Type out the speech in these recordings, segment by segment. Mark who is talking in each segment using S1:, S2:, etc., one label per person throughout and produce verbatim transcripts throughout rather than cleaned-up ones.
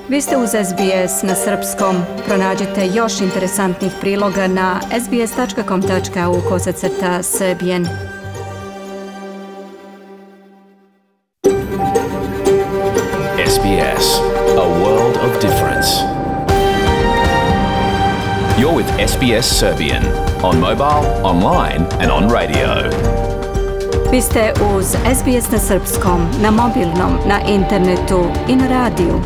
S1: Vi ste uz S B S na srpskom. Pronađite još interesantnih priloga na sbs.com.au kosacrta srbijen.
S2: S B S, a world of difference. You're with S B S Serbian on mobile, online and on radio.
S1: Vi ste uz S B S na srpskom, na mobilnom, na internetu i na radiju.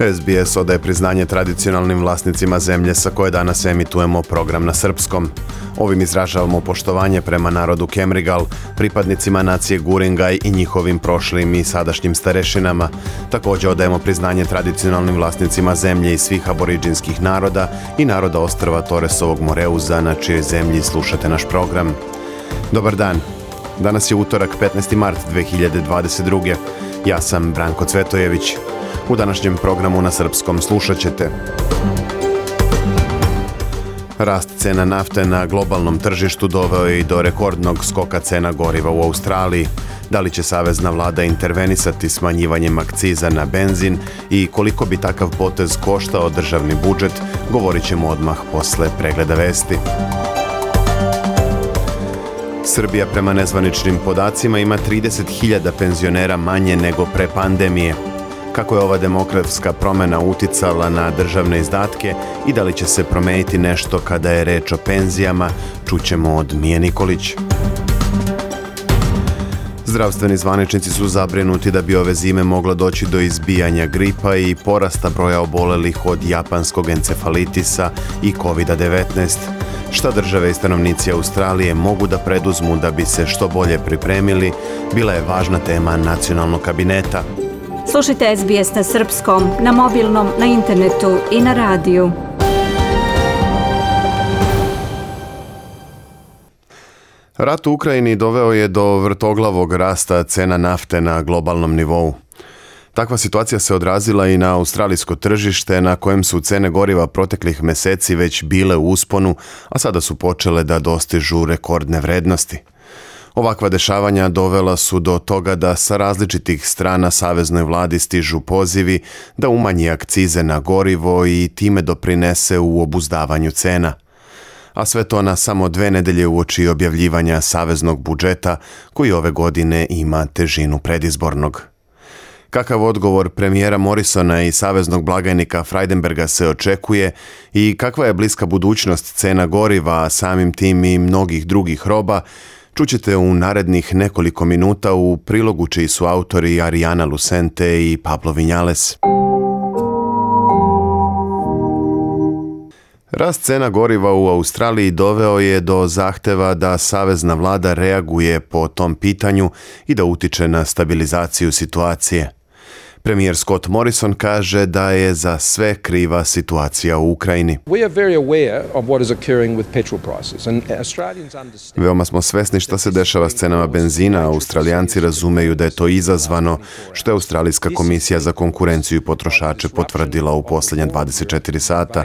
S3: S B S odaje priznanje tradicionalnim vlasnicima zemlje sa koje danas emitujemo program na srpskom. Ovim izražavamo poštovanje prema narodu Kemrigal, pripadnicima nacije Guringaj i njihovim prošlim i sadašnjim starešinama. Također odajemo priznanje tradicionalnim vlasnicima zemlje i svih aboriđinskih naroda i naroda ostrva Toresovog Moreuza, na čijoj zemlji slušate naš program. Dobar dan. Danas je utorak, petnaesti mart dve hiljade dvadeset druge. Ja sam Branko Cvetojević. U današnjem programu na srpskom slušat ćete: rast cena nafte na globalnom tržištu doveo je i do rekordnog skoka cena goriva u Australiji. Da li će savezna vlada intervenisati smanjivanjem akciza na benzin i koliko bi takav potez koštao državni budžet, govorit ćemo odmah posle pregleda vesti. Srbija prema nezvaničnim podacima ima trideset hiljada penzionera manje nego pre pandemije. Kako je ova demografska promjena uticala na državne izdatke i da li će se promeniti nešto kada je reč o penzijama, čućemo od Mije Nikolić. Zdravstveni zvaničnici su zabrinuti da bi ove zime moglo doći do izbijanja gripa i porasta broja obolelih od japanskog encefalitisa i kovid devetnaest. Šta države i stanovnici Australije mogu da preduzmu da bi se što bolje pripremili, bila je važna tema nacionalnog kabineta.
S1: Slušajte S B S na srpskom, na mobilnom, na internetu i na radiju.
S3: Rat u Ukrajini doveo je do vrtoglavog rasta cena nafte na globalnom nivou. Takva situacija se odrazila i na australijsko tržište, na kojem su cene goriva proteklih meseci već bile u usponu, a sada su počele da dostižu rekordne vrednosti. Ovakva dešavanja dovela su do toga da sa različitih strana saveznoj vladi stižu pozivi da umanji akcize na gorivo i time doprinese u obuzdavanju cena. A sve to na samo dve nedelje uoči objavljivanja saveznog budžeta, koji ove godine ima težinu predizbornog. Kakav odgovor premijera Morrisona i saveznog blagajnika Frydenberga se očekuje i kakva je bliska budućnost cena goriva, a samim tim i mnogih drugih roba, čućete u narednih nekoliko minuta u prilogu čiji su autori Arijana Lucente i Pablo Vinjales. Rast cena goriva u Australiji doveo je do zahteva da savezna vlada reaguje po tom pitanju i da utiče na stabilizaciju situacije. Premijer Scott Morrison kaže da je za sve kriva situacija u Ukrajini. Veoma smo svesni šta se dešava s cenama benzina. Australijanci razumeju da je to izazvano, što je Australijska komisija za konkurenciju i potrošače potvrdila u posljednja dvadeset četiri sata.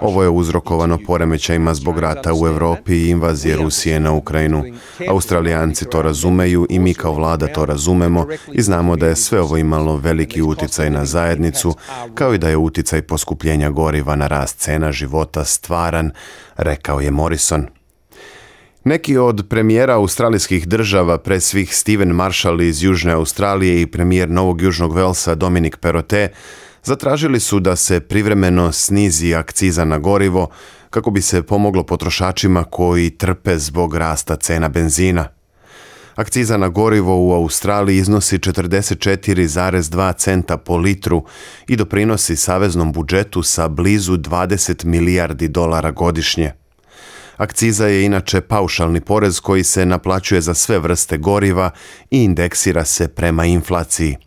S3: Ovo je uzrokovano poremećajima zbog rata u Evropi i invazije Rusije na Ukrajinu. Australijanci to razumeju i mi kao vlada to razumemo i znamo da je sve ovo imalo veliki uticaj na zajednicu, kao i da je uticaj poskupljenja goriva na rast cena života stvaran, rekao je Morrison. Neki od premijera australijskih država, pre svih Stephen Marshall iz Južne Australije i premijer Novog Južnog Velsa Dominic Perrottet, zatražili su da se privremeno snizi akciza na gorivo kako bi se pomoglo potrošačima koji trpe zbog rasta cena benzina. Akciza na gorivo u Australiji iznosi četrdeset četiri zarez dva centa po litru i doprinosi saveznom budžetu sa blizu dvadeset milijardi dolara godišnje. Akciza je inače paušalni porez koji se naplaćuje za sve vrste goriva i indeksira se prema inflaciji.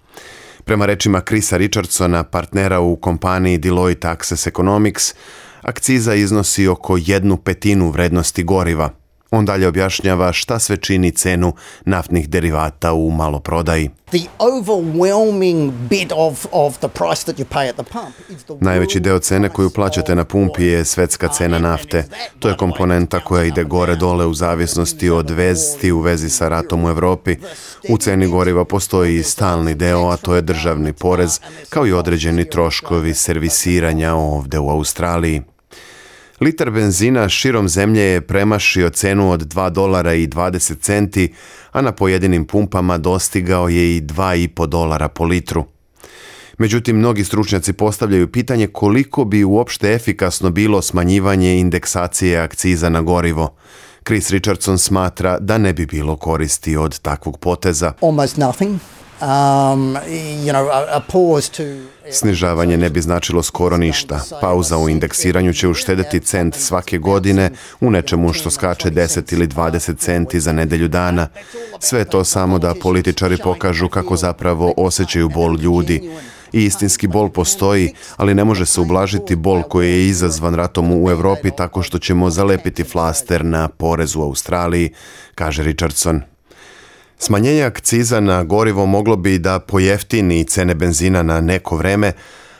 S3: Prema rečima Chrisa Richardsona, partnera u kompaniji Deloitte Access Economics, akciza iznosi oko jednu petinu vrednosti goriva. On dalje objašnjava šta sve čini cenu naftnih derivata u maloprodaji.
S4: The overwhelming bit of, of the price that you pay at the pump is the
S3: Najveći deo cene koju plaćate na pumpi je svetska cena nafte. To je komponenta koja ide gore-dole u zavisnosti od vesti u vezi sa ratom u Evropi. U ceni goriva postoji i stalni deo, a to je državni porez, kao i određeni troškovi servisiranja ovde u Australiji. Litar benzina širom zemlje je premašio cenu od dva dolara i dvadeset centi, a na pojedinim pumpama dostigao je i dva i po dolara po litru. Međutim, mnogi stručnjaci postavljaju pitanje koliko bi uopšte efikasno bilo smanjivanje indeksacije akciza na gorivo. Chris Richardson smatra da ne bi bilo koristi od takvog poteza.
S4: almost nothing. Um, you know, a, a pause to...
S3: Snižavanje ne bi značilo skoro ništa. Pauza u indeksiranju će uštedeti cent svake godine u nečemu što skače deset ili dvadeset centi za nedelju dana. Sve to samo da političari pokažu kako zapravo osjećaju bol ljudi. I istinski bol postoji, ali ne može se ublažiti bol koji je izazvan ratom u Evropi tako što ćemo zalepiti flaster na porez u Australiji, kaže Richardson. Smanjenje akciza na gorivo moglo bi da pojeftini cene benzina na neko vreme,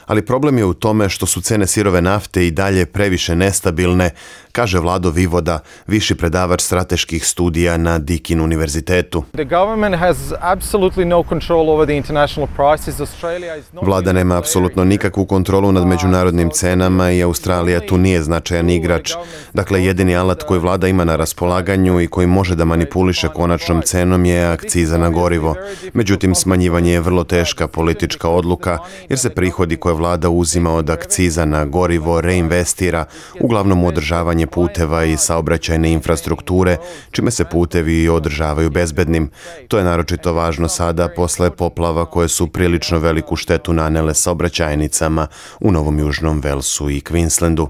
S3: ali problem je u tome što su cene sirove nafte i dalje previše nestabilne, kaže Vlado Vivoda, viši predavač strateških studija na Deakin univerzitetu. Vlada nema apsolutno nikakvu kontrolu nad međunarodnim cenama i Australija tu nije značajan igrač. Dakle, jedini alat koji vlada ima na raspolaganju i koji može da manipuliše konačnom cenom je akciza na gorivo. Međutim, smanjivanje je vrlo teška politička odluka jer se prihodi koje vlada uzima od akciza na gorivo reinvestira, uglavnom u održavanje puteva i saobraćajne infrastrukture, čime se putevi održavaju bezbednim. To je naročito važno sada posle poplava koje su prilično veliku štetu nanele saobraćajnicama u Novom Južnom Velsu i Queenslandu.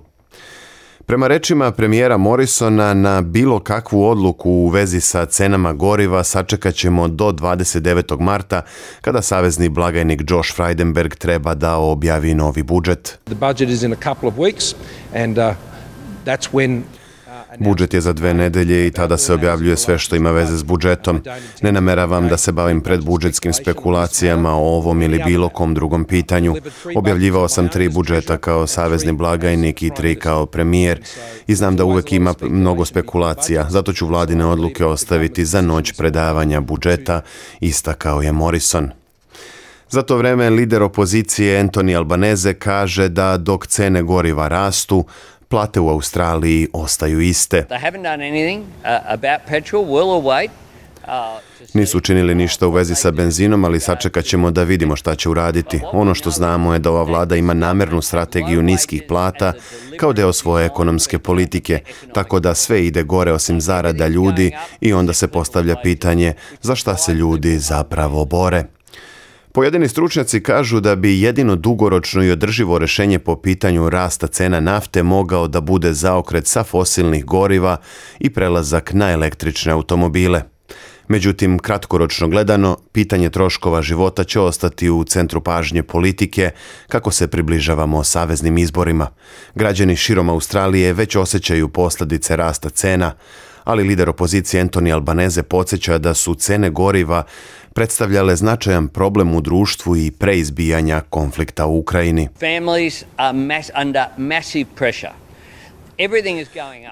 S3: Prema rečima premijera Morrisona, na bilo kakvu odluku u vezi sa cenama goriva sačekat ćemo do dvadeset devetog marta, kada savezni blagajnik Josh Frydenberg treba da objavi novi budžet.
S5: The budget is in a couple of weeks and uh, that's when
S3: Budžet je za dve nedelje i tada se objavljuje sve što ima veze s budžetom. Ne nameravam da se bavim predbudžetskim spekulacijama o ovom ili bilo kom drugom pitanju. Objavljivao sam tri budžeta kao savezni blagajnik i tri kao premijer i znam da uvek ima mnogo spekulacija, zato ću vladine odluke ostaviti za noć predavanja budžeta, istakao je Morrison. Za to vreme lider opozicije Anthony Albanese kaže da dok cene goriva rastu, plate u Australiji ostaju iste. Nisu učinili ništa u vezi sa benzinom, ali sačekat ćemo da vidimo šta će uraditi. Ono što znamo je da ova vlada ima namernu strategiju niskih plata kao deo svoje ekonomske politike, tako da sve ide gore osim zarada ljudi i onda se postavlja pitanje za šta se ljudi zapravo bore. Pojedini stručnjaci kažu da bi jedino dugoročno i održivo rešenje po pitanju rasta cena nafte mogao da bude zaokret sa fosilnih goriva i prelazak na električne automobile. Međutim, kratkoročno gledano, pitanje troškova života će ostati u centru pažnje politike kako se približavamo saveznim izborima. Građani širom Australije već osjećaju posljedice rasta cena, ali lider opozicije Anthony Albanese podsjeća da su cene goriva predstavljale značajan problem u društvu i pre izbijanja konflikta u Ukrajini.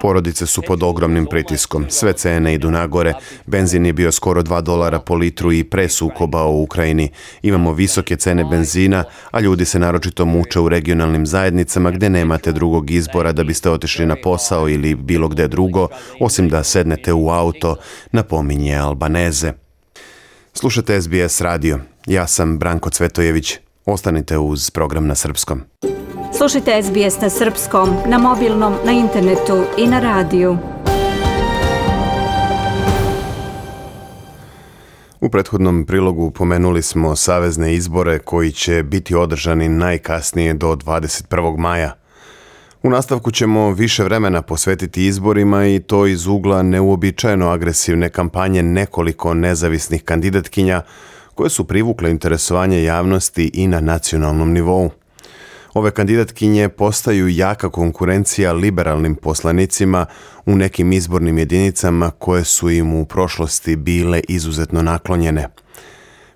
S3: Porodice su pod ogromnim pritiskom, sve cene idu nagore, benzin je bio skoro dva dolara po litru i pre sukoba u Ukrajini. Imamo visoke cene benzina, a ljudi se naročito muče u regionalnim zajednicama gde nemate drugog izbora da biste otišli na posao ili bilo gde drugo, osim da sednete u auto, napominje Albanese. Slušate S B S radio. Ja sam Branko Cvetojević. Ostanite uz program na srpskom.
S1: Slušajte S B S na srpskom, na mobilnom, na internetu i na radiju.
S3: U prethodnom prilogu pomenuli smo savezne izbore koji će biti održani najkasnije do dvadeset prvog maja. U nastavku ćemo više vremena posvetiti izborima i to iz ugla neuobičajeno agresivne kampanje nekoliko nezavisnih kandidatkinja koje su privukle interesovanje javnosti i na nacionalnom nivou. Ove kandidatkinje postaju jaka konkurencija liberalnim poslanicima u nekim izbornim jedinicama koje su im u prošlosti bile izuzetno naklonjene.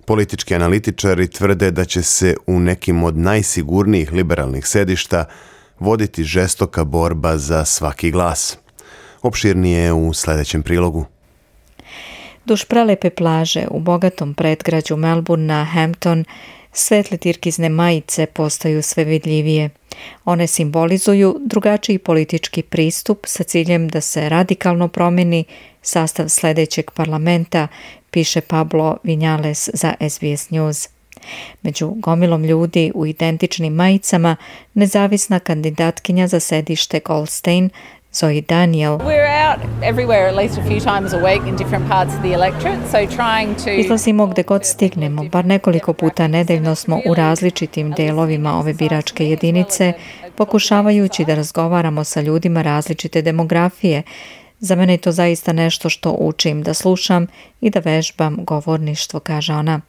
S3: Politički analitičari tvrde da će se u nekim od najsigurnijih liberalnih sedišta voditi žestoka borba za svaki glas. Opširnije u sljedećem prilogu.
S6: Duž prelepe plaže u bogatom predgrađu Melbournea, Hampton, svetle tirkizne majice postaju sve vidljivije. One simbolizuju drugačiji politički pristup sa ciljem da se radikalno promijeni sastav sljedećeg parlamenta, piše Pablo Vinales za S B S News. Među gomilom ljudi u identičnim majicama nezavisna kandidatkinja za sedište Goldstein, Zoe Daniel, izlazimo gde god stignemo, bar nekoliko puta nedeljno smo u različitim delovima ove biračke jedinice, pokušavajući da razgovaramo sa ljudima različite demografije. Za mene je to zaista nešto što učim da slušam i da vežbam govorništvo, kaže ona.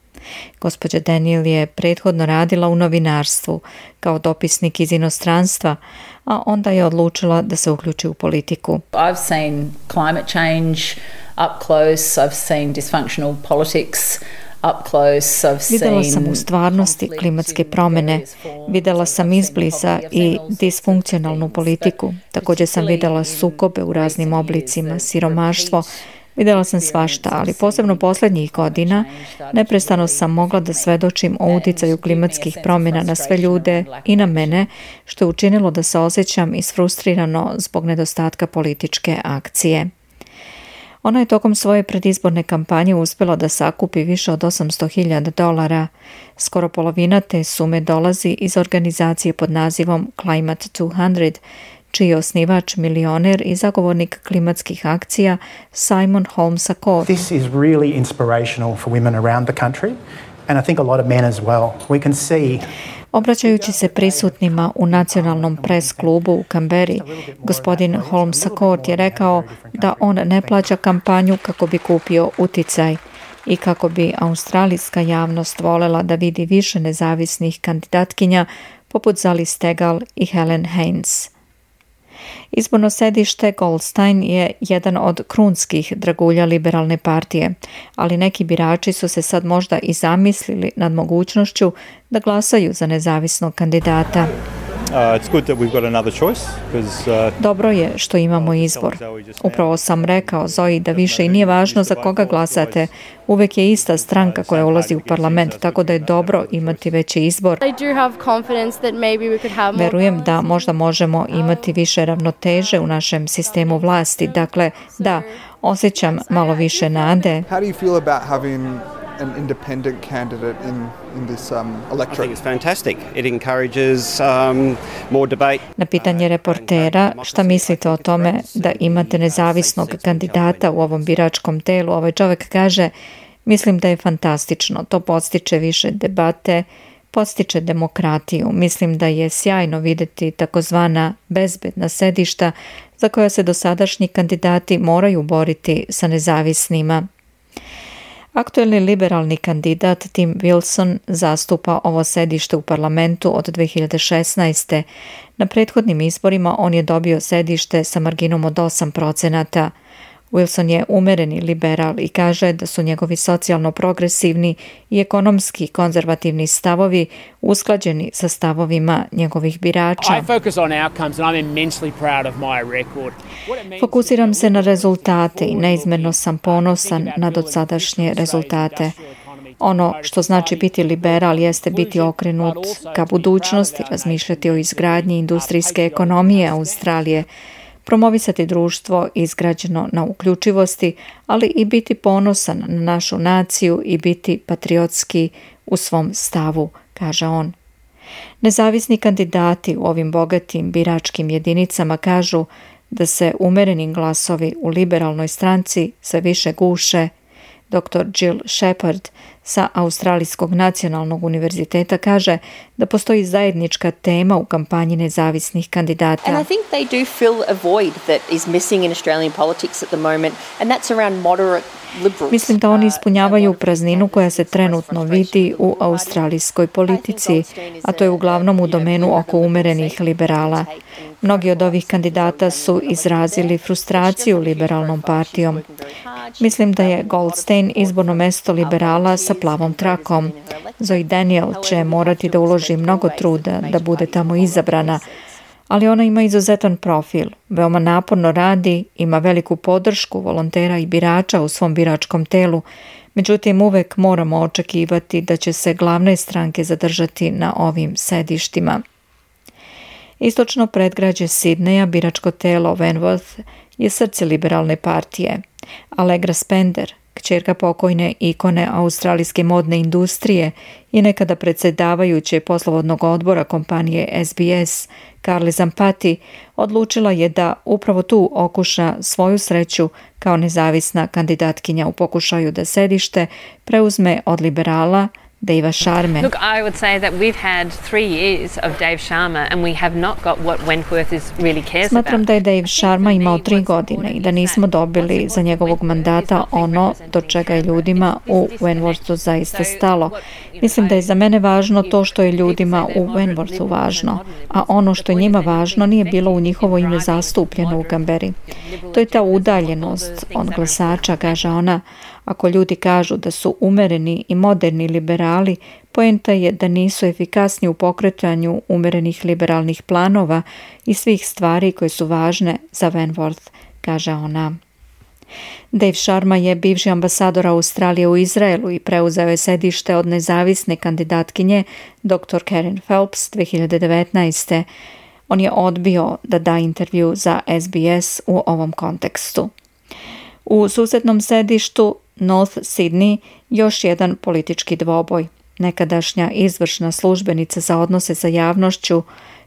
S6: Gospođa Daniel je prethodno radila u novinarstvu kao dopisnik iz inostranstva, a onda je odlučila da se uključi u politiku.
S7: I've seen climate change up close, I've seen dysfunctional politics up close, I've seen...
S6: Videla sam u stvarnosti klimatske promjene, videla sam izbliza i disfunkcionalnu politiku. Također sam videla sukobe u raznim oblicima, siromaštvo. Videla sam svašta, ali posebno posljednjih godina neprestano sam mogla da svedočim o uticaju klimatskih promjena na sve ljude i na mene, što je učinilo da se osjećam isfrustrirano zbog nedostatka političke akcije. Ona je tokom svoje predizborne kampanje uspjela da sakupi više od osamsto hiljada dolara. Skoro polovina te sume dolazi iz organizacije pod nazivom Climate dvesta, čiji je osnivač milioner i zagovornik klimatskih akcija Simon Holmes A Court.
S8: This is really inspirational for women around the country and I think a lot of men as well. We can see
S6: Obraćajući se prisutnima u nacionalnom pres klubu u Canberri, gospodin Holmes A Court je rekao da on ne plaća kampanju kako bi kupio uticaj i kako bi australijska javnost volela da vidi više nezavisnih kandidatkinja poput Zali Steggall i Helen Haines. Izborno sedište Goldstein je jedan od krunskih dragulja liberalne partije, ali neki birači su se sad možda i zamislili nad mogućnošću da glasaju za nezavisnog kandidata. Dobro je što imamo izbor. Upravo sam rekao Zoe da više i nije važno za koga glasate. Uvek je ista stranka koja ulazi u parlament, tako da je dobro imati veći izbor. Verujem da možda možemo imati više ravnoteže u našem sistemu vlasti. Dakle, da, osjećam malo više nade.
S9: An independent candidate in in this um, electorate.
S10: I think it's fantastic. It encourages um, more debate.
S6: Na pitanje reportera šta mislite o tome da imate nezavisnog kandidata u ovom biračkom telu, ovaj čovjek kaže: mislim da je fantastično. To podstiče više debate, podstiče demokratiju. Mislim da je sjajno vidjeti takozvana bezbedna sedišta za koja se dosadašnji kandidati moraju boriti sa nezavisnima. Aktuelni liberalni kandidat Tim Wilson zastupa ovo sedište u parlamentu od dve hiljade šesnaeste. Na prethodnim izborima on je dobio sedište sa marginom od osam procenata. Wilson je umereni liberal i kaže da su njegovi socijalno-progresivni i ekonomski konzervativni stavovi usklađeni sa stavovima njegovih birača. Fokusiram se na rezultate i neizmjerno sam ponosan na dosadašnje rezultate. Ono što znači biti liberal jeste biti okrenut ka budućnosti, razmišljati o izgradnji industrijske ekonomije Australije, promovisati društvo izgrađeno na uključivosti, ali i biti ponosan na našu naciju i biti patriotski u svom stavu, kaže on. Nezavisni kandidati u ovim bogatim biračkim jedinicama kažu da se umereni glasovi u liberalnoj stranci sve više guše. doktor Jill Shepard sa Australijskog nacionalnog univerziteta kaže da postoji zajednička tema u kampanji nezavisnih kandidata.
S11: And I think they do fill a void that is missing in Australian politics at the moment, and that's around moderate liberals.
S6: Mislim da oni ispunjavaju prazninu koja se trenutno vidi u australijskoj politici, a to je uglavnom u domenu oko umerenih liberala. Mnogi od ovih kandidata su izrazili frustraciju liberalnom partijom. Mislim da je Goldstein izborno mesto liberala sa plavom trakom. Zoe Daniel će morati da uloži mnogo truda da bude tamo izabrana, ali ona ima izuzetan profil, veoma naporno radi, ima veliku podršku volontera i birača u svom biračkom telu, međutim uvek moramo očekivati da će se glavne stranke zadržati na ovim sedištima. Istočno predgrađe Sidneja, biračko telo Wentworth, je srce liberalne partije. Allegra Spender, kćerka pokojne ikone australijske modne industrije i nekada predsjedavajuće poslovodnog odbora kompanije S B S, Carly Zampati, odlučila je da upravo tu okuša svoju sreću kao nezavisna kandidatkinja u pokušaju da sedište preuzme od liberala Davea Sharme.
S12: Look, I would say that we've had three years of Dave Sharma and we have not got what Wentworth is really cares about.
S6: Smatram da je Dave Sharma imao tri godine i da nismo dobili za njegovog mandata ono do čega je ljudima u Wentworthu zaista stalo. Mislim da je za mene važno to što je ljudima u Wentworthu važno, a ono što je njima važno nije bilo u njihovo ime zastupljeno u Canberri. To je ta udaljenost od glasača, kaže ona. Ako ljudi kažu da su umereni i moderni liberali, poenta je da nisu efikasni u pokretanju umerenih liberalnih planova i svih stvari koje su važne za Wentworth, kaže ona. Dave Sharma je bivši ambasador Australije u Izraelu i preuzeo je sedište od nezavisne kandidatkinje doktor Karen Phelps dvije hiljade devetnaeste. On je odbio da da intervju za S B S u ovom kontekstu. U susednom sedištu North Sydney još jedan politički dvoboj. Nekadašnja izvršna službenica za odnose sa javnošću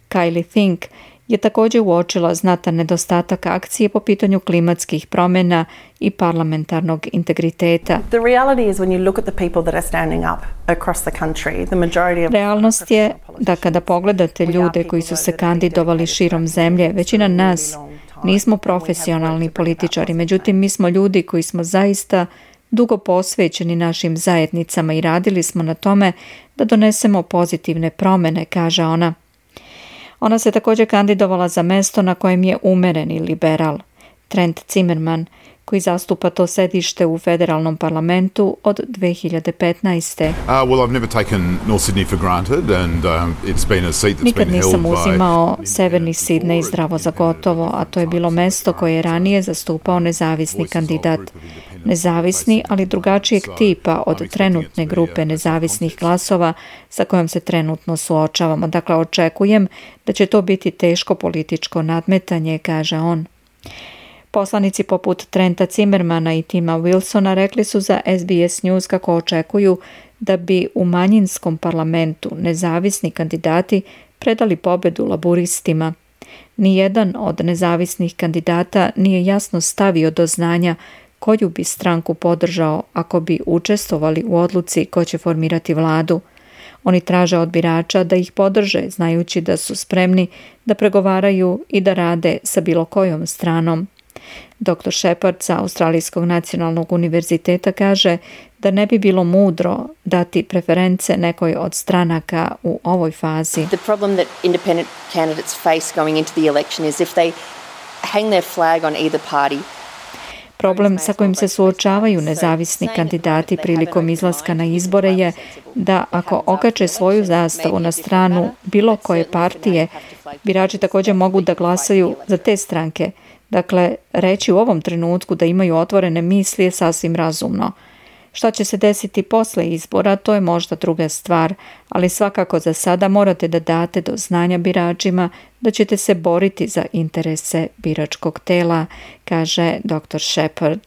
S6: Kylie Fink je također uočila znatan nedostatak akcije po pitanju klimatskih promjena i parlamentarnog integriteta. Realnost je da kada pogledate ljude koji su se kandidovali širom zemlje, većina nas nismo profesionalni političari, međutim mi smo ljudi koji smo zaista dugo posvećeni našim zajednicama i radili smo na tome da donesemo pozitivne promjene, kaže ona. Ona se također kandidovala za mesto na kojem je umereni liberal, Trent Zimmerman, koji zastupa to sedište u federalnom parlamentu od dvije hiljade petnaeste.
S13: Uh, well, I've never taken North Sydney for granted and um, it's been a seat that's
S6: Nikad
S13: been held
S6: nisam
S13: by...
S6: uzimao severni Sidney zdravo za gotovo, a to je bilo mesto koje je ranije zastupao nezavisni kandidat. Nezavisni, ali drugačijeg tipa od trenutne grupe nezavisnih glasova sa kojom se trenutno suočavamo. Dakle, očekujem da će to biti teško političko nadmetanje, kaže on. Poslanici poput Trenta Zimmermana i Tima Wilsona rekli su za S B S News kako očekuju da bi u manjinskom parlamentu nezavisni kandidati predali pobedu laburistima. Nijedan od nezavisnih kandidata nije jasno stavio do znanja koju bi stranku podržao ako bi učestvovali u odluci ko će formirati vladu. Oni traže od birača da ih podrže, znajući da su spremni da pregovaraju i da rade sa bilo kojom stranom. doktor Shepard sa Australijskog nacionalnog univerziteta kaže da ne bi bilo mudro dati preference nekoj od stranaka u ovoj fazi.
S11: The problem that independent candidates face going into the election is if they hang their flag on either party.
S6: Problem sa kojim se suočavaju nezavisni kandidati prilikom izlaska na izbore je da ako okače svoju zastavu na stranu bilo koje partije, birači također mogu da glasaju za te stranke. Dakle, reći u ovom trenutku da imaju otvorene misli je sasvim razumno. Šta će se desiti posle izbora, to je možda druga stvar, ali svakako za sada morate da date do znanja biračima da ćete se boriti za interese biračkog tela, kaže doktor Shepard.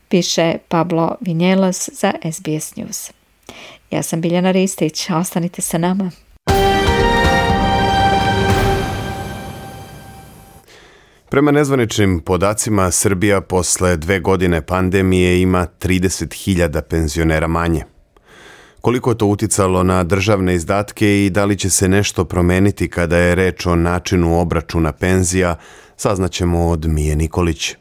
S6: Piše Pablo Vinjelas za S B S News. Ja sam Biljana Ristić, ostanite sa nama.
S3: Prema nezvaničnim podacima, Srbija posle dve godine pandemije ima trideset hiljada penzionera manje. Koliko je to uticalo na državne izdatke i da li će se nešto promeniti kada je reč o načinu obračuna penzija, saznaćemo od Mije Nikolić.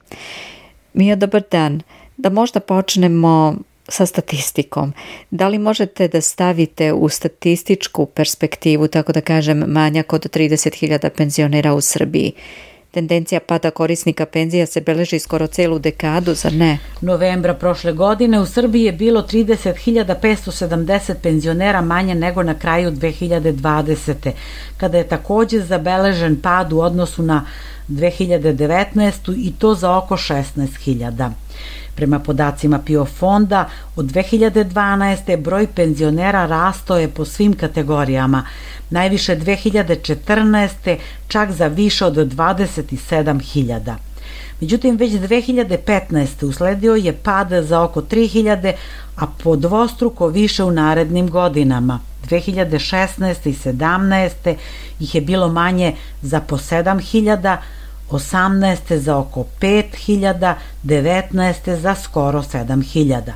S6: Mija, dobar dan. Da možda počnemo sa statistikom. Da li možete da stavite u statističku perspektivu, tako da kažem, manjak od trideset hiljada penzionera u Srbiji? Tendencija pada korisnika penzija se beleži skoro celu dekadu, zar ne?
S14: Novembra prošle godine u Srbiji je bilo trideset hiljada petsto sedamdeset penzionera manje nego na kraju dve hiljade dvadesete. kada je takođe zabeležen pad u odnosu na dve hiljade devetnaestu. i to za oko šesnaest hiljada. Prema podacima PIO fonda, od dve hiljade dvanaeste. broj penzionera rastao je po svim kategorijama. Najviše dve hiljade četrnaeste. čak za više od dvadeset sedam hiljada. Međutim, već dve hiljade petnaeste. usledio je pad za oko tri hiljade, a po dvostruko više u narednim godinama. dve hiljade šesnaeste. i sedamnaeste. ih je bilo manje za po sedam hiljada, osamnaeste. za oko pet hiljada, devetnaeste. za skoro sedam hiljada.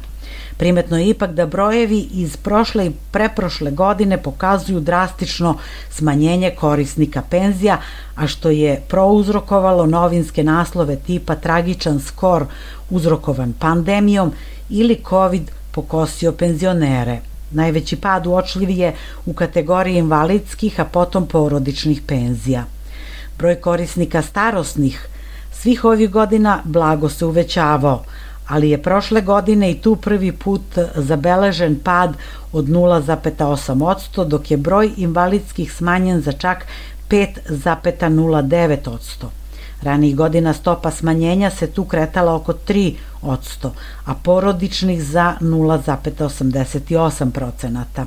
S14: Primetno je ipak da brojevi iz prošle i preprošle godine pokazuju drastično smanjenje korisnika penzija, a što je prouzrokovalo novinske naslove tipa tragičan skor uzrokovan pandemijom ili COVID pokosio penzionere. Najveći pad uočljiv je u kategoriji invalidskih, a potom porodičnih penzija. Broj korisnika starosnih svih ovih godina blago se uvećavao, ali je prošle godine i tu prvi put zabeležen pad od nula zarez osam posto, dok je broj invalidskih smanjen za čak pet zarez nula devet posto. Ranijih godina stopa smanjenja se tu kretala oko tri posto, a porodičnih za nula zarez osamdeset osam procenata.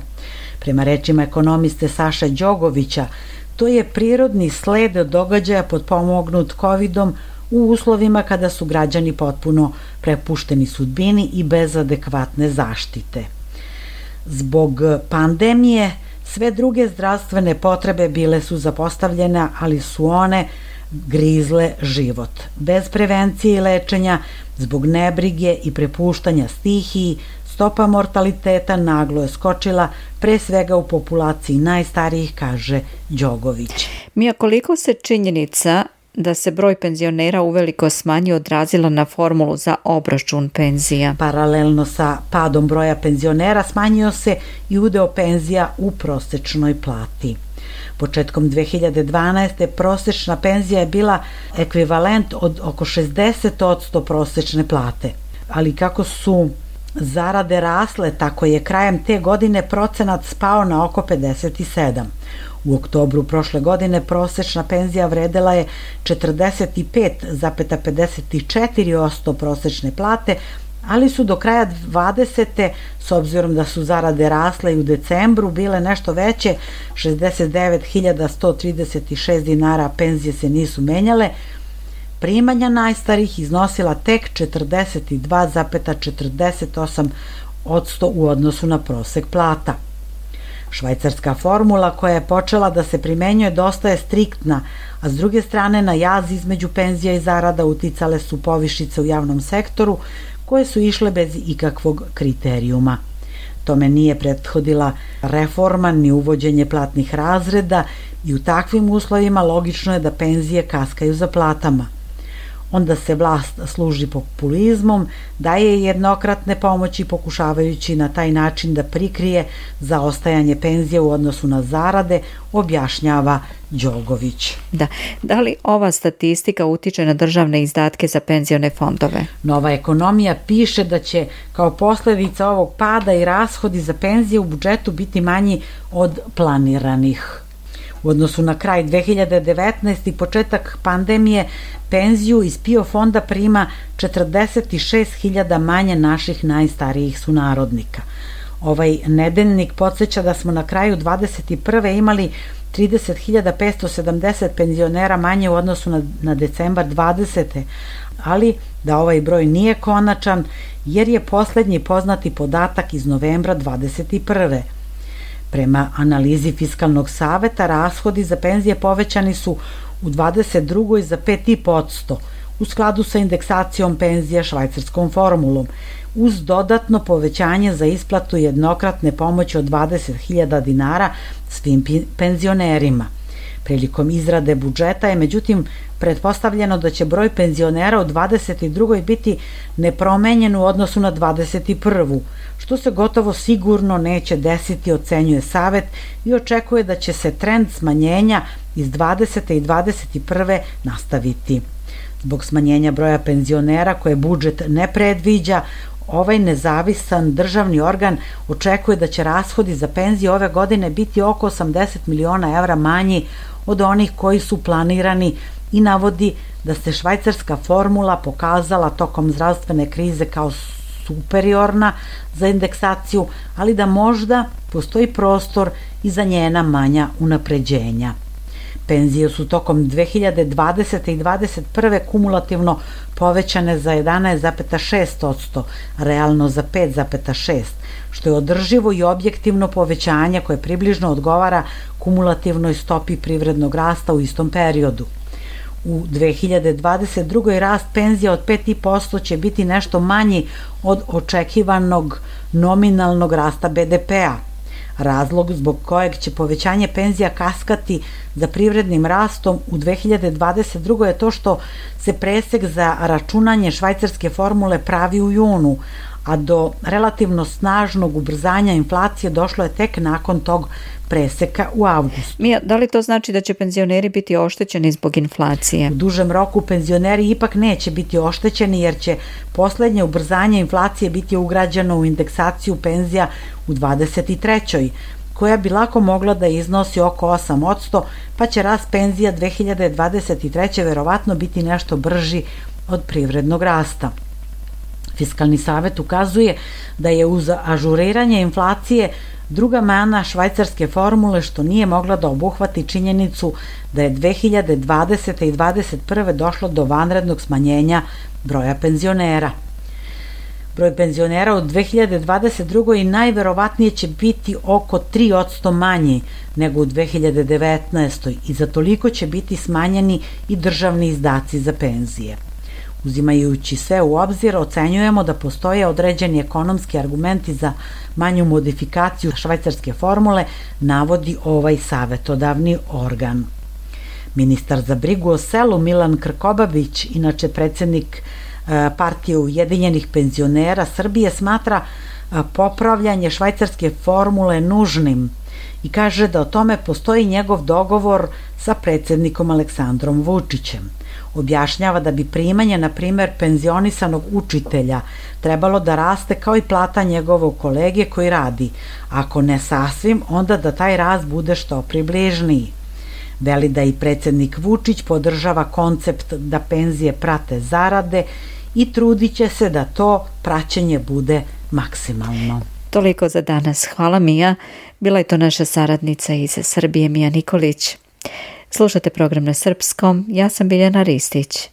S14: Prema rečima ekonomiste Saše Đogovića, to je prirodni sled događaja potpomognut kovidom u uslovima kada su građani potpuno prepušteni sudbini i bez adekvatne zaštite. Zbog pandemije sve druge zdravstvene potrebe bile su zapostavljene, ali su one grizle život. Bez prevencije i lečenja, zbog nebrige i prepuštanja stihiji, stopa mortaliteta naglo je skočila, pre svega u populaciji najstarijih, kaže Đogović.
S6: Mija, koliko se činjenica da se broj penzionera uveliko smanjio odrazila na formulu za obračun penzija?
S14: Paralelno sa padom broja penzionera smanjio se i udeo penzija u prosečnoj plati. Početkom dve hiljade dvanaeste. prosečna penzija je bila ekvivalent od oko šezdeset posto prosečne plate, ali kako su zarade rasle, tako je krajem te godine procenat spao na oko pedeset sedam. U oktobru prošle godine prosečna penzija vredela je četrdeset pet zarez pedeset četiri posto prosečne plate, ali su do kraja dvadesete. s obzirom da su zarade rasle i u decembru bile nešto veće, šezdeset devet hiljada sto trideset šest dinara, penzije se nisu menjale, primanja najstarijih iznosila tek četrdeset dva zarez četrdeset osam posto u odnosu na prosek plata. Švajcarska formula koja je počela da se primenjuje dosta je striktna, a s druge strane na jaz između penzija i zarada uticale su povišice u javnom sektoru koje su išle bez ikakvog kriterijuma. Tome nije prethodila reforma ni uvođenje platnih razreda i u takvim uslovima logično je da penzije kaskaju za platama. Onda se vlast služi populizmom, daje jednokratne pomoći pokušavajući na taj način da prikrije zaostajanje penzije u odnosu na zarade, objašnjava Đogović.
S6: Da. Da li ova statistika utiče na državne izdatke za penzione fondove?
S14: Nova ekonomija piše da će kao posledica ovog pada i rashodi za penzije u budžetu biti manji od planiranih. U odnosu na kraj dve hiljade devetnaeste. i početak pandemije, penziju iz PIO fonda prima četrdeset šest hiljada manje naših najstarijih sunarodnika. Ovaj nedeljnik podsjeća da smo na kraju dvadeset prve. imali trideset hiljada petsto sedamdeset penzionera manje u odnosu na, na decembar dvadesete. ali da ovaj broj nije konačan jer je poslednji poznati podatak iz novembra dvadeset prve. Prema analizi Fiskalnog saveta, rashodi za penzije povećani su u dvadeset drugoj. za pet zarez pet posto, u skladu sa indeksacijom penzija švajcarskom formulom, uz dodatno povećanje za isplatu jednokratne pomoći od dvadeset hiljada dinara svim penzionerima. Prilikom izrade budžeta je međutim pretpostavljeno da će broj penzionera u dvadeset drugoj biti nepromenjen u odnosu na dvadeset prvu, što se gotovo sigurno neće desiti, ocenjuje Savet, i očekuje da će se trend smanjenja iz dvadesete i dvadeset prve nastaviti. Zbog smanjenja broja penzionera koje budžet ne predviđa, ovaj nezavisan državni organ očekuje da će rashodi za penzije ove godine biti oko osamdeset miliona evra manji od onih koji su planirani i navodi da se švajcarska formula pokazala tokom zdravstvene krize kao superiorna za indeksaciju, ali da možda postoji prostor i za njena manja unapređenja. Penzije su tokom dve hiljade dvadesete i dvadeset prve kumulativno povećane za jedanaest zarez šest posto, realno za pet zarez šest posto, što je održivo i objektivno povećanje koje približno odgovara kumulativnoj stopi privrednog rasta u istom periodu. U dve hiljade dvadeset drugoj rast penzija od pet zarez pet posto će biti nešto manji od očekivanog nominalnog rasta be de pea. Razlog zbog kojeg će povećanje penzija kaskati za privrednim rastom u dve hiljade dvadeset drugoj je to što se presek za računanje švajcarske formule pravi u junu, a do relativno snažnog ubrzanja inflacije došlo je tek nakon tog preseka u avgustu.
S6: Mija, da li to znači da će penzioneri biti oštećeni zbog inflacije?
S14: U dužem roku penzioneri ipak neće biti oštećeni jer će poslednje ubrzanje inflacije biti ugrađeno u indeksaciju penzija u dvadeset trećoj koja bi lako mogla da iznosi oko osam posto, pa će rast penzija dve hiljade dvadeset treće verovatno biti nešto brži od privrednog rasta. Fiskalni savet ukazuje da je uz ažuriranje inflacije druga mana švajcarske formule što nije mogla da obuhvati činjenicu da je dve hiljade dvadesete i dvadeset prve došlo do vanrednog smanjenja broja penzionera. Broj penzionera u dve hiljade dvadeset drugoj najverovatnije će biti oko tri posto manji nego u dve hiljade devetnaestoj i za toliko će biti smanjeni i državni izdaci za penzije. Uzimajući sve u obzir, ocenjujemo da postoje određeni ekonomski argumenti za manju modifikaciju švajcarske formule, navodi ovaj savetodavni organ. Ministar za brigu o selu Milan Krkobabić, inače predsednik Partije Ujedinjenih penzionera Srbije, smatra popravljanje švajcarske formule nužnim i kaže da o tome postoji njegov dogovor sa predsednikom Aleksandrom Vučićem. Objašnjava da bi primanje, na primer, penzionisanog učitelja trebalo da raste kao i plata njegovog kolege koji radi. Ako ne sasvim, onda da taj rast bude što približniji. Veli da i predsednik Vučić podržava koncept da penzije prate zarade i trudit će se da to praćenje bude maksimalno.
S6: Toliko za danas. Hvala, Mija. Bila je to naša saradnica iz Srbije, Mija Nikolić. Slušate program na srpskom, ja sam Biljana Ristić.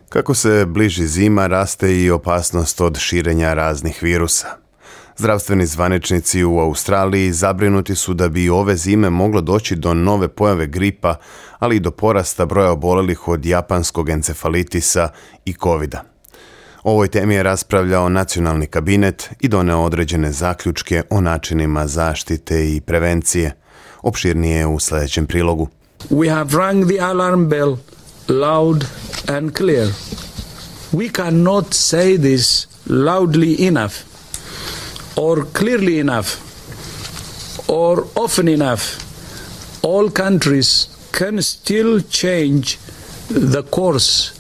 S3: Kako se bliži zima, raste i opasnost od širenja raznih virusa. Zdravstveni zvaničnici u Australiji zabrinuti su da bi ove zime moglo doći do nove pojave gripa, ali i do porasta broja obolelih od japanskog encefalitisa i kovida. O ovoj temi je raspravljao nacionalni kabinet i doneo određene zaključke o načinima zaštite i prevencije. Opširnije u sljedećem prilogu.
S15: We have rung the alarm bell loud and clear. We cannot say this loudly enough or clearly enough or often enough. All countries can still change the course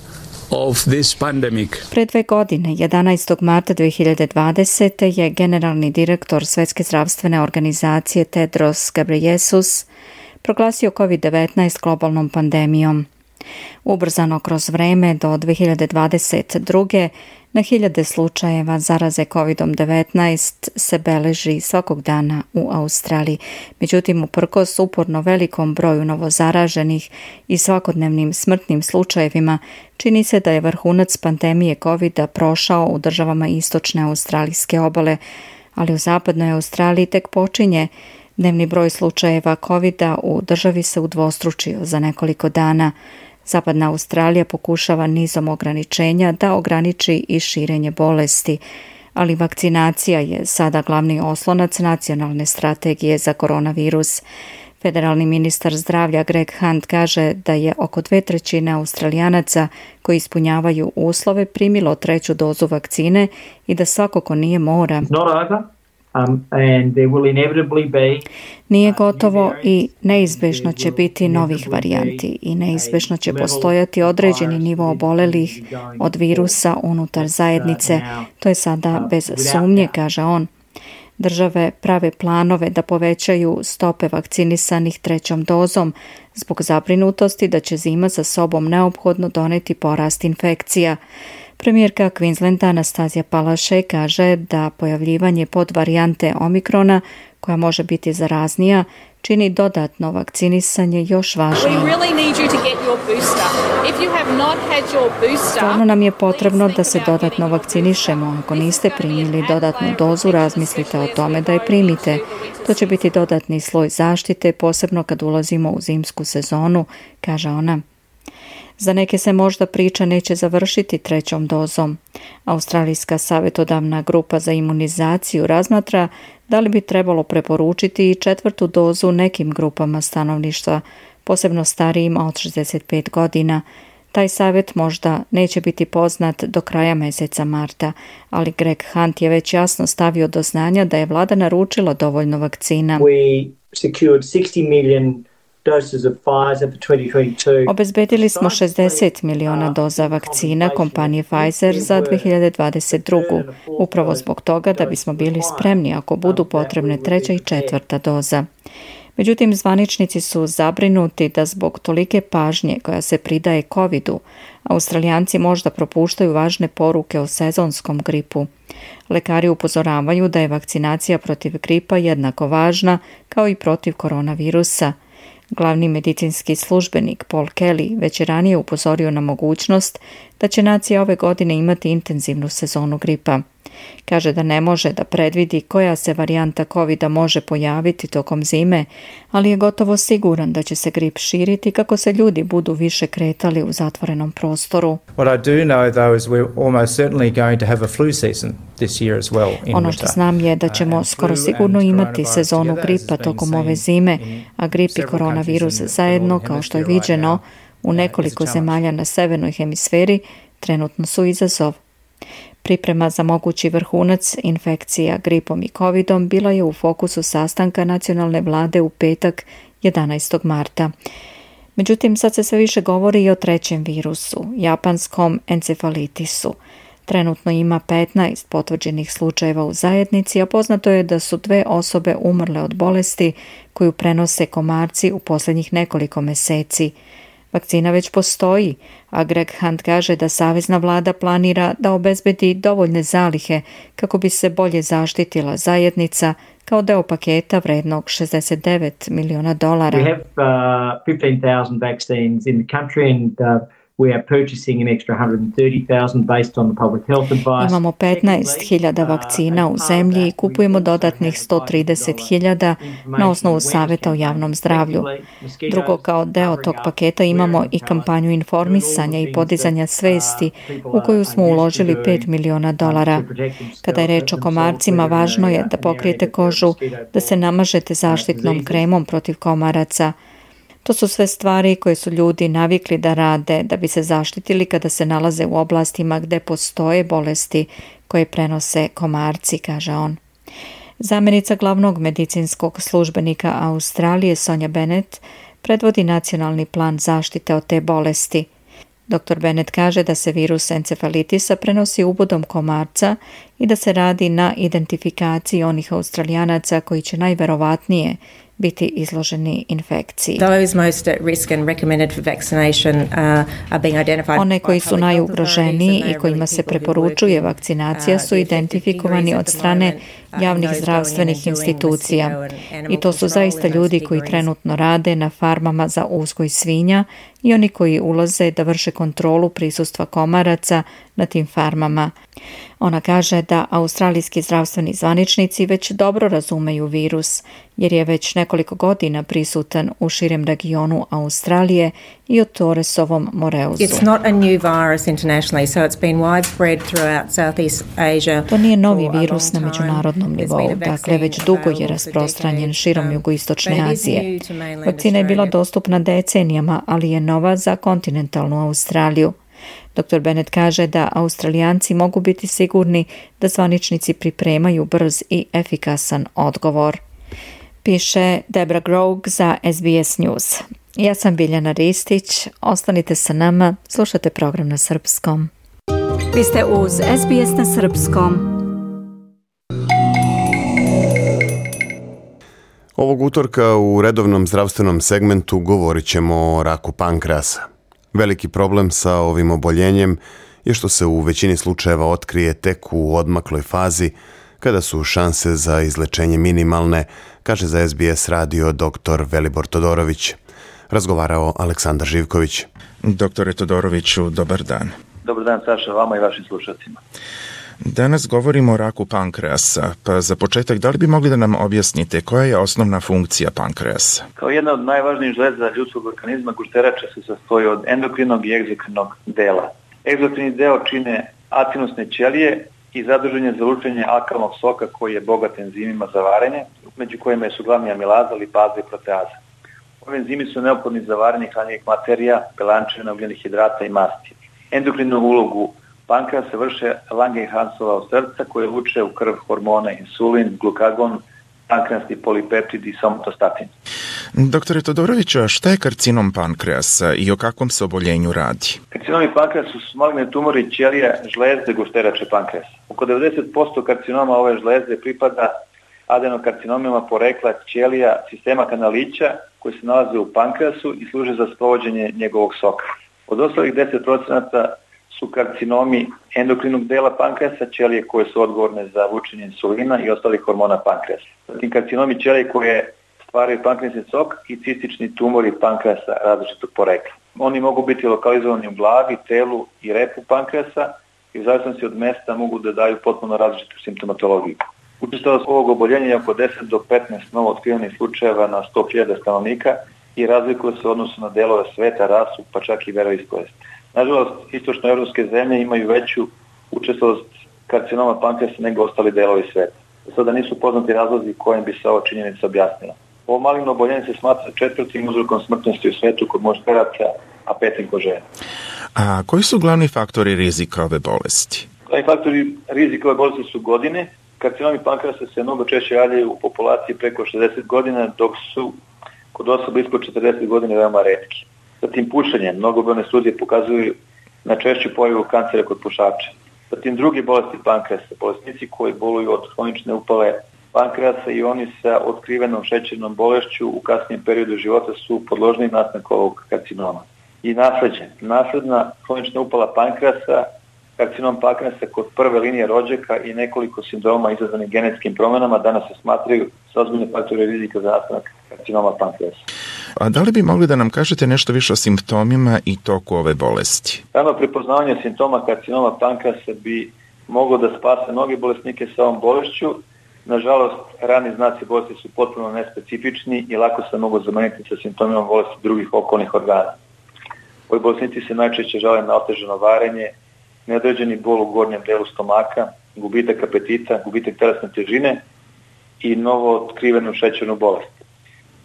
S15: of this pandemic.
S6: Pre dve godine, jedanaestog marta dve hiljade dvadesete. je generalni direktor Svetske zdravstvene organizacije Tedros Ghebreyesus proglasio kovid devetnaest globalnom pandemijom. Ubrzano kroz vreme do dve hiljade dvadeset druge. na hiljade slučajeva zaraze kovidom devetnaest se beleži svakog dana u Australiji. Međutim, uprkos uporno velikom broju novozaraženih i svakodnevnim smrtnim slučajevima, čini se da je vrhunac pandemije kovida prošao u državama istočne australijske obale, ali u zapadnoj Australiji tek počinje. Dnevni broj slučajeva kovida u državi se udvostručio za nekoliko dana. Zapadna Australija pokušava nizom ograničenja da ograniči i širenje bolesti, ali vakcinacija je sada glavni oslonac nacionalne strategije za koronavirus. Federalni ministar zdravlja Greg Hunt kaže da je oko dve trećine Australijanaca koji ispunjavaju uslove primilo treću dozu vakcine i da svako ko nije mora.
S16: Um, and there will inevitably be,
S6: Nije gotovo i neizbežno će biti novih varijanti i neizbežno će postojati određeni nivo obolelih od virusa unutar zajednice. To je sada bez sumnje, kaže on. Države prave planove da povećaju stope vakcinisanih trećom dozom zbog zabrinutosti da će zima sa sobom neophodno doneti porast infekcija. Premijerka Queenslanda Anastazija Palaszczuk kaže da pojavljivanje podvarijante Omikrona, koja može biti zaraznija, čini dodatno vakcinisanje još važnije. Stvarno nam je potrebno da se dodatno vakcinišemo. Ako niste primili dodatnu dozu, razmislite o tome da je primite. To će biti dodatni sloj zaštite, posebno kad ulazimo u zimsku sezonu, kaže ona. Za neke se možda priča neće završiti trećom dozom. Australijska savjetodavna grupa za imunizaciju razmatra da li bi trebalo preporučiti i četvrtu dozu nekim grupama stanovništva, posebno starijima od šezdeset pet godina. Taj savjet možda neće biti poznat do kraja mjeseca marta, ali Greg Hunt je već jasno stavio do znanja da je vlada naručila dovoljno vakcina.
S16: We secured sixty million doses of Pfizer for twenty twenty-two.
S6: Obezbedili smo šezdeset miliona doza vakcina kompanije Pfizer za dve hiljade dvadeset drugu. Upravo zbog toga da bismo bili spremni ako budu potrebne treća i četvrta doza. Međutim, zvaničnici su zabrinuti da zbog tolike pažnje koja se pridaje covidu, Australijanci možda propuštaju važne poruke o sezonskom gripu. Lekari upozoravaju da je vakcinacija protiv gripa jednako važna kao i protiv koronavirusa. Glavni medicinski službenik Paul Kelly već je ranije upozorio na mogućnost da će nacija ove godine imati intenzivnu sezonu gripa. Kaže da ne može da predvidi koja se varijanta covida može pojaviti tokom zime, ali je gotovo siguran da će se grip širiti kako se ljudi budu više kretali u zatvorenom prostoru.
S17: What I do know though is we're almost certainly going to have a flu season this year as well in
S6: Ono što znam je da ćemo skoro sigurno imati sezonu gripa tokom ove zime, a grip i koronavirus zajedno, kao što je viđeno u nekoliko zemalja na severnoj hemisferi, trenutno su izazov. Priprema za mogući vrhunac infekcija gripom i covidom bila je u fokusu sastanka nacionalne vlade u petak jedanaestog marta. Međutim, sad se sve više govori i o trećem virusu, japanskom encefalitisu. Trenutno ima petnaest potvrđenih slučajeva u zajednici, a poznato je da su dve osobe umrle od bolesti koju prenose komarci u posljednjih nekoliko mjeseci. Vakcina već postoji, a Greg Hunt kaže da savezna vlada planira da obezbedi dovoljne zalihe kako bi se bolje zaštitila zajednica kao deo paketa vrednog šezdeset devet miliona dolara.
S16: We have uh, fifteen thousand vaccines in the country and uh, we are purchasing an extra one hundred thirty thousand based on the public health advice.
S6: Imamo petnaest hiljada vakcina u zemlji i kupujemo dodatnih sto trideset hiljada na osnovu savjeta o javnom zdravlju. Drugo, kao deo tog paketa imamo i kampanju informisanja i podizanja svesti u koju smo uložili pet miliona dolara. Kada je reč o komarcima, važno je da pokrijete kožu, da se namažete zaštitnom kremom protiv komaraca. To su sve stvari koje su ljudi navikli da rade da bi se zaštitili kada se nalaze u oblastima gde postoje bolesti koje prenose komarci, kaže on. Zamjenica glavnog medicinskog službenika Australije Sonja Bennett predvodi nacionalni plan zaštite od te bolesti. doktor Bennett kaže da se virus encefalitisa prenosi ubodom komarca i da se radi na identifikaciji onih Australijanaca koji će najverovatnije biti izloženi infekciji. One koji su najugroženiji i kojima se preporučuje vakcinacija su identifikovani od strane javnih zdravstvenih institucija. I to su zaista ljudi koji trenutno rade na farmama za uzgoj svinja i oni koji ulaze da vrše kontrolu prisustva komaraca na tim farmama. Ona kaže da australijski zdravstveni zvaničnici već dobro razumeju virus, jer je već nekoliko godina prisutan u širem regionu Australije i o Torresovom moreuzu.
S18: It's not a new virus internationally, so it's been widespread throughout Southeast Asia.
S6: To nije novi virus na međunarodnom nivou, dakle već dugo je rasprostranjen širom jugoistočne Azije. Vakcina je bila dostupna decenijama, ali je nova za kontinentalnu Australiju. doktor Bennett kaže da Australijanci mogu biti sigurni da zvaničnici pripremaju brz i efikasan odgovor. Piše Debra Grog za S B S News. Ja sam Biljana Ristić, ostanite sa nama, slušate program na srpskom.
S1: Vi ste uz S B S na srpskom.
S3: Ovog utorka u redovnom zdravstvenom segmentu govorit ćemo o raku pankreasa. Veliki problem sa ovim oboljenjem je što se u većini slučajeva otkrije tek u odmakloj fazi, kada su šanse za izlečenje minimalne, kaže za S B S radio doktor Velibor Todorović. Razgovarao Aleksandar Živković.
S19: Doktore Todoroviću, dobar dan.
S20: Dobar dan, Saša, vama i vašim slušateljima.
S19: Danas govorimo o raku pankreasa, pa za početak da li bi mogli da nam objasnite koja je osnovna funkcija pankreasa?
S20: Kao jedna od najvažnijih žleza ljudskog organizma, gušterača se sastoji od endokrinog i egzokrinog dela. Egzokrini deo čine acinusne ćelije i zadužen je za lučenje alkalnog soka koji je bogat enzimima za varenje, među kojima su glavni amilaza, lipaza i proteaza. Ove enzimi su neophodni za varenje hranjivih materija, belančevina, ugljenih hidrata i masti. Endokrinu ulogu pankreasa vrše Langerhansova od srca koje luče u krv hormone insulin, glukagon, pankreasni polipeptid i somatostatin.
S19: Doktore Todoroviću, a šta je karcinom pankreasa i o kakvom se oboljenju radi?
S20: Karcinomi pankreasa su maligne tumori ćelija žlezde gušterače pankreasa. Oko devedeset posto karcinoma ove žlezde pripada adenokarcinomima porekla ćelija sistema kanalića koji se nalaze u pankreasu i služe za sprovođenje njegovog soka. Od ostalih deset procenata su karcinomi endokrinog dela pankreasa, ćelije koje su odgovorne za vučenje insulina i ostalih hormona pankreasa. Zatim karcinomi ćelije koje stvaraju pankreasni sok i cistični tumori pankreasa različitog porekla. Oni mogu biti lokalizovani u glavi, telu i repu pankreasa i u zavisnosti od mesta mogu da daju potpuno različitu simptomatologiju. Učestalost ovog oboljenja je oko deset do petnaest novo otkrivenih slučajeva na sto hiljada stanovnika i razlikuje se u odnosu na delove sveta, rasu, pa čak i veroispovest. Nažalost, istočnoevropske zemlje imaju veću učestalost karcinoma pankreasa nego ostali delovi sveta. Sada nisu poznati razlozi kojim bi se ova činjenica objasnila. Ovo maligno oboljenje se smatra četvrtim uzrokom smrtnosti u svetu kod muškaraca, a petim kod žena.
S19: A koji su glavni faktori rizika ove bolesti?
S20: Glavni faktori rizika ove bolesti su godine. Karcinomi pankreasa se mnogo češće javljaju u populaciji preko šezdeset godina, dok su kod osoba ispod četrdeset godina veoma retki. Zatim pušenje. Mnogobrojne studije pokazuju na češću pojavu kancera kod pušača. Zatim drugi bolesti pankreasa. Bolesnici koji boluju od hronične upale pankreasa i oni sa otkrivenom šećernom bolešću u kasnijem periodu života su podložni nastanku ovog karcinoma. I nasleđe. Nasledna hronična upala pankreasa, karcinom pankreasa kod prve linije rođaka i nekoliko sindroma izazvanih genetskim promenama danas se smatraju sa ozbiljne faktore rizika za nastanak karcinoma pankreasa.
S19: A da li bi mogli da nam kažete nešto više o simptomima i toku ove bolesti?
S20: Rano prepoznavanje simptoma karcinoma pankreasa bi moglo da spase mnoge bolesnike sa ovom bolešću. Nažalost, rani znaci bolesti su potpuno nespecifični i lako se mogu zameniti sa simptomima bolesti drugih okolnih organa. Ovi bolesnici se najčešće žale na otežano varenje, neodređeni bol u gornjem delu stomaka, gubitak apetita, gubitak telesne težine i novo otkrivenu šećernu bolest.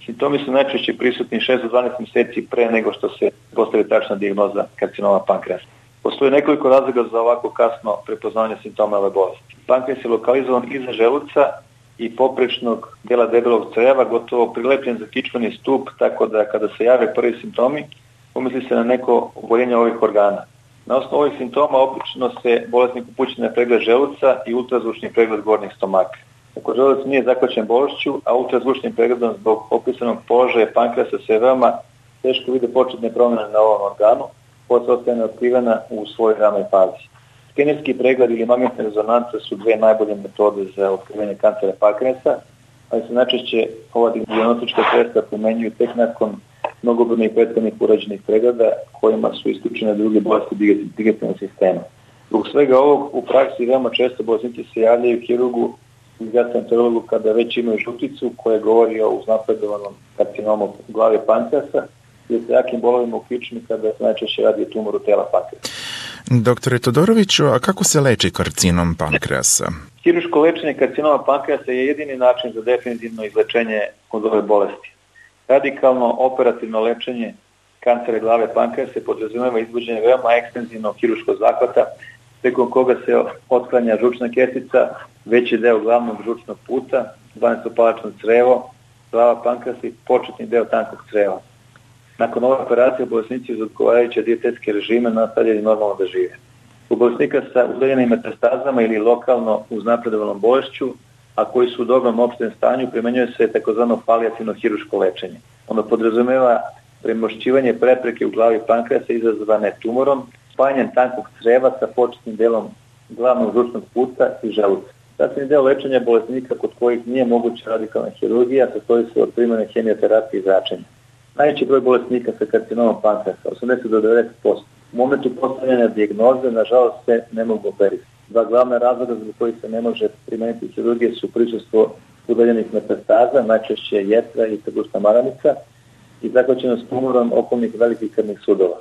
S20: Simptomi su najčešće prisutni šest do dvanaest mjeseci pre nego što se postavi tačna dijagnoza karcinoma pankreasa. Postoji nekoliko razloga za ovako kasno prepoznavanje simptoma ove bolesti. Pankreas je lokalizovan iza želuca i poprečnog dela debelog creva, gotovo prilepljen za kičmeni stup, tako da kada se jave prvi simptomi, pomisli se na neko oboljenje ovih organa. Na osnovu ovih simptoma obično se bolesnik upući na pregled želuca i ultrazvučni pregled gornjih stomaka. Ako želuc nije zahvaćen bolešću, a ultrazvučnim pregledom zbog opisanog položaja pankreasa se veoma teško vide početne promjene na ovom organu, posle ostaje neotkrivena u svojoj ranoj fazi. Skenerski pregled ili magnetne rezonance su dve najbolje metode za otkrivanje kancera pankreasa, ali se najčešće ova dijagnostička sredstva primenjuju tek nakon mnogobrojnih prethodnih urađenih pregleda kojima su isključene druge bolesti digestivnog sistema. Zbog svega ovog u praksi veoma često bolesnici se javljaju hirurgu i gastroenterologu kada već imaju žuticu koja govori o uznapredovanom karcinomu glave pankreasa ili sa jakim bolovima u kičmi kada se najčešće radi o tumoru tela pankreasa.
S19: Doktore Todoroviću, a kako se leči karcinom pankreasa?
S20: Hirurško lečenje karcinoma pankreasa je jedini način za definitivno izlečenje od ove bolesti. Radikalno operativno lečenje kancera glave pankreasa se podrazumeva izvođenje veoma ekstenzivnog hirurškog zahvata preko koga se otklanja žučna ketica, veći deo glavnog žučnog puta, dvanaestopalačno crevo, glava pankreasa i početni deo tankog creva. Nakon ove operacije bolesnici uz odgovarajuće dijetetske režime nastavljaju normalno da žive. U bolesnika sa udaljenim metastazama ili lokalno uznapredovanom bolešću, a koji su u dobrom opštem stanju, primenjuje se takozvano palijativno hirurško lečenje. Ono podrazumeva premošćivanje prepreke u glavi pankreasa izazvane tumorom, spajanjem tankog creva sa početnim delom glavnog žučnog puta i želuca. Sastavni deo lečenja bolesnika kod kojih nije moguća radikalna hirurgija sastoji se od primjene hemioterapije i zračenja. Najveći broj bolesnika sa karcinomom pankreasa, osamdeset do devedeset posto. U momentu postavljanja dijagnoze, nažalost, se ne mogu operisati. Dva glavna razloga zbog kojih se ne može primeniti hirurgije su prisustvo udaljenih metastaza, najčešće jetra i trbušna maranica, i zahvaćenost tumorom okolnih velikih krvnih sudova.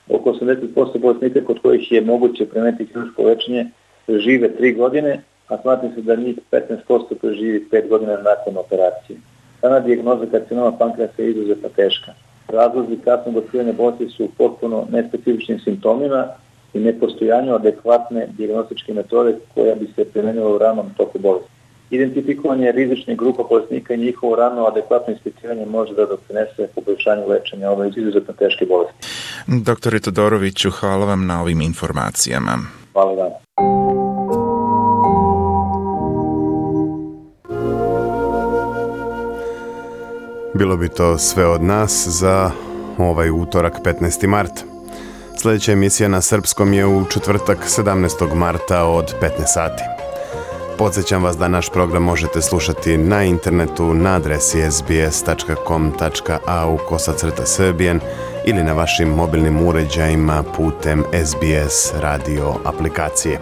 S20: Oko osamdeset posto bolesnika kod kojih je moguće primeniti hirurško lečenje žive tri godine, a smatra se da njih petnaest posto preživi pet godina nakon operacije. Dana dijagnoza karcinoma pankreasa je izuzetno teška. Razlozi kasnog otkrivanja bolesti su potpuno nespecifičnim simptomima i nepostojanju adekvatne dijagnostičke metode koja bi se primenila u ranom toku bolesti. Identifikovanje rizičnih grupa bolesnika i njihovo rano adekvatno ispitivanje može da doprinese poboljšanju lečenja ove izuzetno teške bolesti.
S19: Doktore Todoroviću, hvala vam na ovim informacijama.
S20: Hvala vam.
S3: Bilo bi to sve od nas za ovaj utorak petnaesti mart. Sljedeća emisija na srpskom je u četvrtak sedamnaestog marta od petnaest sati. Podsjećam vas da naš program možete slušati na internetu na adresi es be es tačka com tačka a u kosacrta srbijen ili na vašim mobilnim uređajima putem es be es radio aplikacije.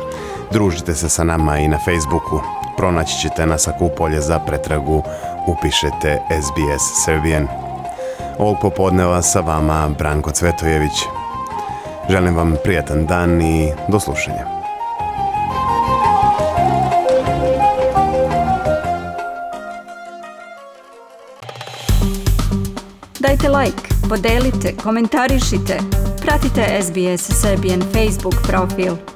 S3: Družite se sa nama i na Facebooku. Pronaći ćete nas ako u polje za pretragu upišete es be es Serbian. Ovog popodneva sa vama Branko Cvetojević. Želim vam prijatan dan i do slušanja.
S1: Dajte like, podelite, komentarišite. Pratite es be es Serbian Facebook profil.